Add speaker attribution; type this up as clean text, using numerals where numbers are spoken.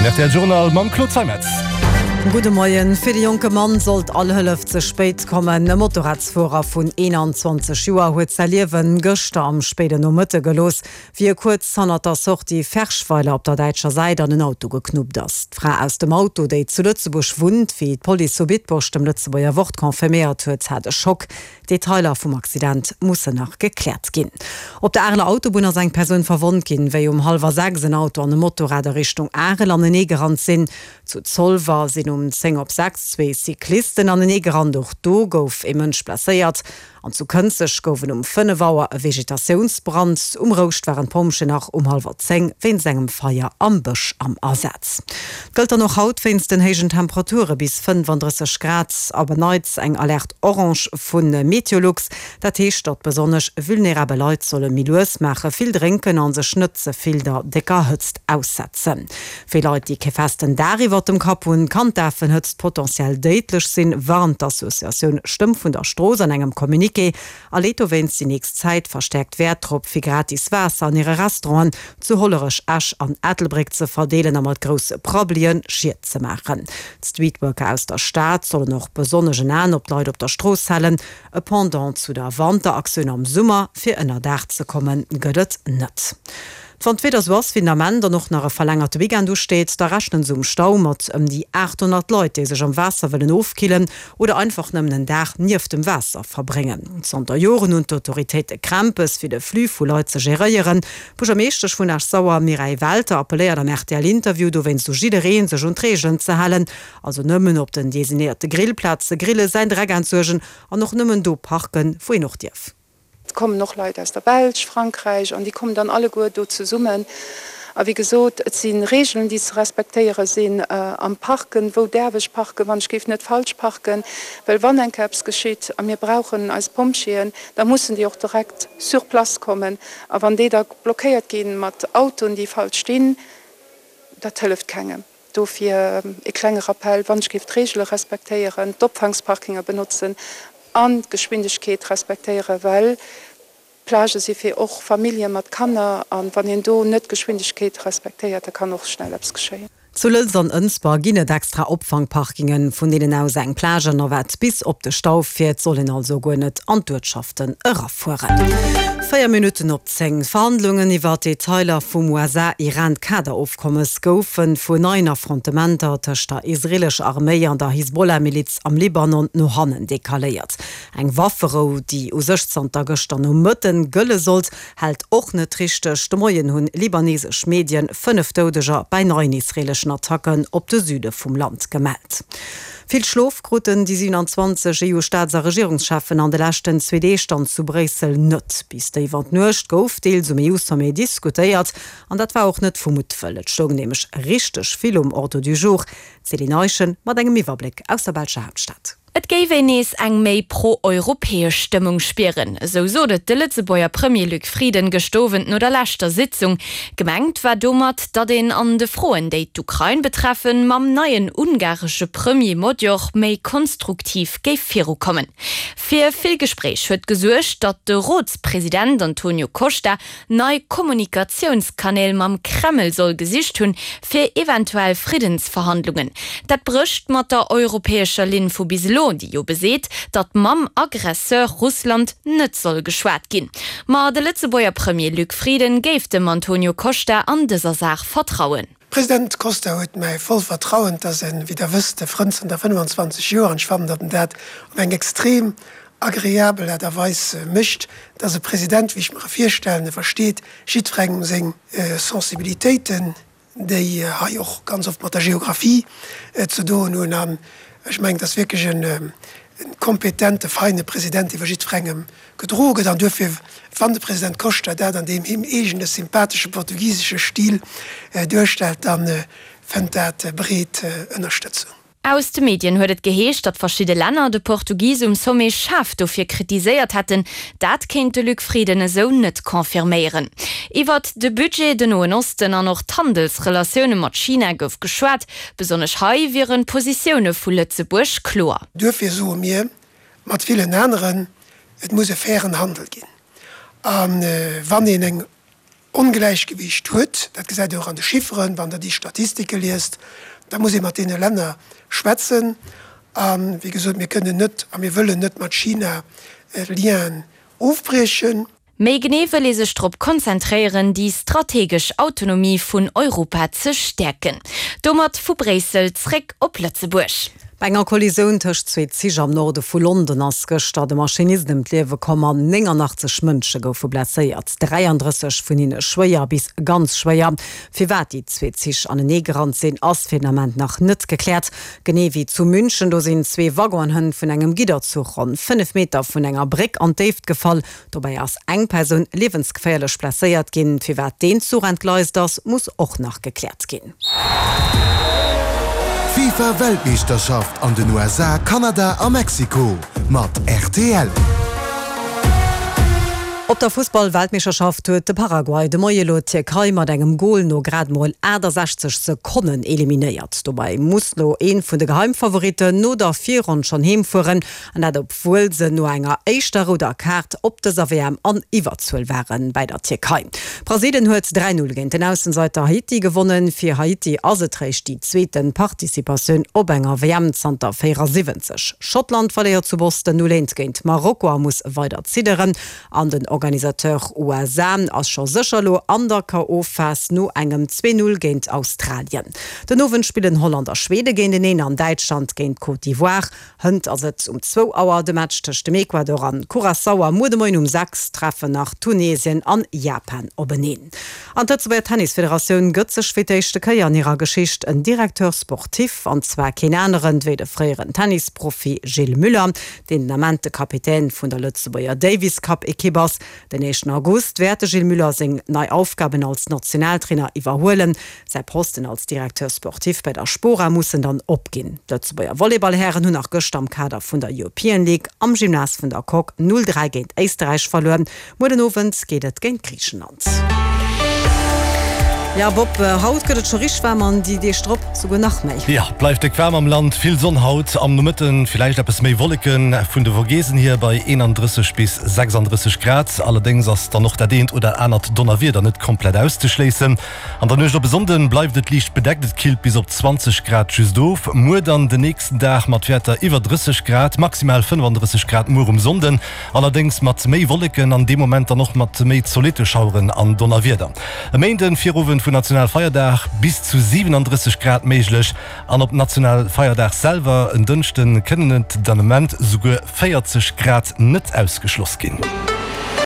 Speaker 1: Den rtl Journal mam Claude Zeimetz.
Speaker 2: Gudde Moien. Fir de jonke Mann sollt all Hëllef ze spéit kommen. E Motorradsfuerer vun 21 Joer huet säi Liewen gëschter am spéiden Nomëtte gelooss, wéi e kuerz hannert der Sortie Ferschweiler op der däitscher Säit an en Auto geknuppt ass. D'Fra aus dem Auto, déi zu Lëtzebuerg wunnt, wéi d'Police zu Bitburg dem Lëtzebuerger Wort confirméiert huet, hat e Schock. D'Detailer vum Accident mussen nach gekläert ginn. Op der Areler Autobunn ass eng Persoun verwonnt ginn, wéi um hallwer 6 en Auto an e Motorrad a Richtung Arel anenee gerannt sinn. Zu Zolwer sinn um 10 op 6 zwee Cyclisten anenee gerannt, och do gouf ee Mënsch blesséiert. An zu Kënzeg gouf et um 5 Auer e Vegetatiounsbrand. Um Rouscht waren d'Pompjeeën nach um hallwer 10 wéinst engem Feier am Bësch am Asaz. Et gëllt dann och haut wéinst den héijen Temperature bis 35 Grad op en Neits eng Alerte orange vu Meteolux. Dat heescht, datt besonnesch vulnerabel Leit solle méi lues maachen, vill drénken a sech net ze vill der décker Hëtzt aussetzen. Fir Leit, déi kee festen Daach iwwert dem Kapp hunn, kann d'Afenhëtzt potentiell déidlech sinn, warnt d'Associatioun Stëmm vun der Strooss an engem Communiqué a leet dowéinst déi nächst Zäit verstäerkt Wäert drop, fir gratis Waasser an hire Restauranten zu Hollerech, Esch an Ettelbréck ze verdeelen a mat grousse Prabbelien Schied ze maachen. D'Streetworker aus der Stad sollen och besonnesch en Aen op d'Leit op der Strooss halen. E Pendant zu der Wanteraktioun am Summer, fir ënner Daach ze kommen, gëtt et net. Wann d'Wieder sou ass wéi den Ament an och nach e verlängerte Weekend usteet, da rechnen se um Stau mat ëm déi 800 Leit, déi sech am Waasser wëllen ofkillen oder einfach nëmmen en Dag nieft dem Waasser verbréngen. Zanter Joren hunn d'Autoritéite Krämpes, fir de Flux vu Leit ze geréieren. D'Buergermeeschtesch vun Esch-Sauer, Mireille Welter, appelléiert am RTL-Interview dowéinst u jiddereen, sech un d'Reegelen ze halen, also nëmmen op den designéierte Grillplaze grillen, säin Dreck entsuergen an och nëmmen do parken, wou een och dierf.
Speaker 3: Et kommen och Leit aus der Belsch, Frankräich an déi kommen dann alleguer do zesummen. A wéi gesot, et si Regeln, déi ze respektéiere sinn am Parken. Wou däerf ech parken, wann ech géif net falsch parken? Well wann eng Kéier eppes geschitt a mir brauchen eis Pompjeeën, da mussen déi och direkt sur place kommen. A wann déi da blockéiert gi mat Autoen, déi falsch stinn, dat hëlleft kengem. Dofir e klenge Rappell, wann ech géif d'Reegele respektéieren, d'Opfangsparkinger benotzen an d'Geschwindegkeet respektéieren, well d'Plagë si fir och Famillje mat Kanner a wann een do net d'Geschwindegkeet respektéiert, da kann och schnell eppes geschéien.
Speaker 2: Zu Lëlz an Ënsber ginn et extra Opfangparkingen, vun deenen aus eng Plage-Navette bis op de Stau fiert. Soll een also guer net an d'Uertschaften erafueren. 4 Minutten op 10, D'Verhandlungen iwwer d'Detailer vum USA-Iran-Kaderofkommes goufe vun neien Affrontementer tëscht der israeelescher Arméi an der Hisbollah-Miliz am Libanon no hannen decaléiert. Eng Wafferou, déi u sech zanter gëschter Nomëtten gëlle sollt, hält och net richteg. De Moien hunn libanesesch Medien 5 Doudeger bäi neien israeeleschen Attacken op de Süde vum Land gemellt. Vill Schlof kruten déi 27 EU-Staats a Regierungscheffen an de leschten zwee Deeg dann zu Bréissel net. Bis déif an d'Nuecht gouf deels um EU-Sommet diskutéiert. An dat war och net vu Muttwëll. Et stoung nämlech richteg vill um Ordre du jour. D'Céline Eischen mat engem Iwwerbléck aus der belscher Haaptstad.
Speaker 4: Et géif een nees eng méi pro-europäesch Stëmmung spieren, esou sot et de Lëtzebuerger Premier Luc Frieden gëscht Owend no der leschter Sitzung. Gemengt war domat, datt een an de Froen, déi d'Ukrain betreffen, mam neien ungaresche Premier Magyar méi konstruktiv géif virukommen. Fir vill Gespréich huet gesuergt, datt de Rotspresident Antonio Costa nei Kommunikatiounskanäl mam Kreml soll gesicht hunn, fir eventuell Friddensverhandlungen. Dat brécht mat der europäescher Linn vu bis elo, déi jo beseet, datt mam Aggresseur Russland net soll geschwat ginn. Ma de Lëtzebuerger Premier Luc Frieden géif dem Antonio Costa an dëser Saach vertrauen.
Speaker 5: President Costa huet mäi voll Vertrauen. 't ass en, wéi Der wësst, e Frënd zënter 25 Joer an ech fannen, datt en dat op eng extrem agreabel Aart a Weis mécht. 't ass e President, wéi ech mer e virstellen. E versteet jiddwerengem seng Sensibilitéiten, déi hei och ganz oft mat der Geographie ze doen hunn. An ech mengen, 't ass wierklech e kompetente, feine President, dee vu jiddwerengem gedroe gëtt. An duerfir, wann de President Costa dat an deem him eegene sympathesche portugisesche Stil duerstellt, da fënnt dat breet Ënnerstëtzung.
Speaker 4: Aus de Medien huet et geheescht, datt verschidde Länner de Portugis um Sommet schaarf dofir kritiséiert hätten. Dat kéint de Luc Frieden esou net confirméieren. Iwwert de Budget, den Noen Osten an och d'Handelsrelatioune mat China gouf geschwat. Besonnesch hei wieren d'Positioune vu Lëtzebuerg kloer.
Speaker 5: Duerfir soe mir mat villen aneren, et muss e fairen Handel ginn. A wann een eng. Ongläichgewiicht huet, dat gesäit Dir och an de Chifferen, wann Der déi Statistike liest, da muss ee mat deene Länner schwätzen. A wéi gesot, mir kënnen net a mir wëllen net mat China Lienen ofbriechen.
Speaker 4: Méi genee wëll ee sech drop konzentréieren, déi strategesch Autonomie vun Europa ze stäerken. Domat vu Bréissel zréck op Lëtzebuerg.
Speaker 2: Bei enger Kollisioun tëscht zwee Zich am Norde vu London ass gëschter de Maschinist ëm d'Liewe komm an 89 Mënsche goufe blesséiert, 33 vun hinne schwéier bis ganz schwéier. Firwat déi zwee Zich aneneegerannt sinn, ass fir den Ament nach net gekläert. Genee wéi zu München, do sinn zwee Waggonen hënt vun engem Gidderzuch ronn 5 Meter vun enger Bréck an d'Déift gefall. Dobäi ass eng Persoun liewensgeféierlech blesséiert ginn. Firwat deen Zuch entgleist ass, muss och nach gekläert ginn.
Speaker 1: D'FIFA Weltmeeschterschaft an den USA, Kanada a Mexiko mat rtl.
Speaker 2: Op der Fussball-Weltmeeschterschaft huet de Paraguay de Moie lo d'Tierkei mat engem Gol no grad mol 68 Sekonnen eliminéiert. Dobäi muss lo ee vun de Geheimfavoritten no der Virronn schonn heem fueren, an dat obwuel se no enger éischter rouder Kaart op dëser WM an Iwwerzuel waren bäi der Tierkei. Brasilien huet 3, 0 géint den Aussenseiter Haiti gewonnen. Fir Haiti ass et réischt déi zweete Participatioun op enger WM zanter 74. Schottland verléiert zu Boston 0, 1 géint Marokko a muss weider zidderen. An den Organisateur USA ass scho sécher elo an der KO-Phas no engem 2, 0 géint Australien. Den Owend spillen Holland a Schwede géinteneen an Däitschland géint Côte d'Ivoire. Hënt ass et um zwou Auer de Match tëscht dem Ecuador an Curaçao a muer de Moien um 6 treffen nach Tunesien an Japan openeen. An d'Lëtzebuerger Tennisfederatioun gëtt sech fir d'éischte Kéier an hirer Geschicht en Directeur sportif, an zwar keen aneren wéi de fréieren Tennisprofi Gilles Muller, deen den Ament de Kapitän vun der Lëtzebuerger Davis Cup Ekipp ass. Den éischten August wäert de Gilles Muller seng nei Aufgaben als Nationaltrainer iwwerhuelen. Säi Posten als Directeur sportif bei der Spora muss en dann opginn. D'Lëtzebuerger Volleyballhären hunn nach gëschter am Kader vun der European League am Gymnase vun der Coque 0, 3 géint Éisterräich verluer. Muer den Owend geet et géint Griichenland. Jo Bob, haut gëtt et scho richteg waarm an déi Deeg drop souguer nach méi.
Speaker 6: Jo, bleift déck waarm am Land, vill Sonn haut, am Nomëtten villäicht eppes méi Wolleken, vun de Vogesen hier bei 31 bis 36 Grad. Allerdéngs ass dann och dat eent oder anert Donnerwieder net komplett auszeschléissen. An der Nuecht op e Sonnden bleift et liicht bedeckt, et killt bis op 20 Grad just of. Muer dann den nächsten Dag mat Wäerter iwwer 30 Grad, maximal 35 Grad muer um Sonnden, allerdéngs mat méi Wolleken an dee Moment dann och mat méi zolitte Schaueren an Donnerwieder. E Méinden, Virowend vun Nationalfeierdag, bis zu 37 Grad méiglech an op Nationalfeierdag selwer en Dënschden kënnen et den Ament souguer 40 Grad net ausgeschloss ginn.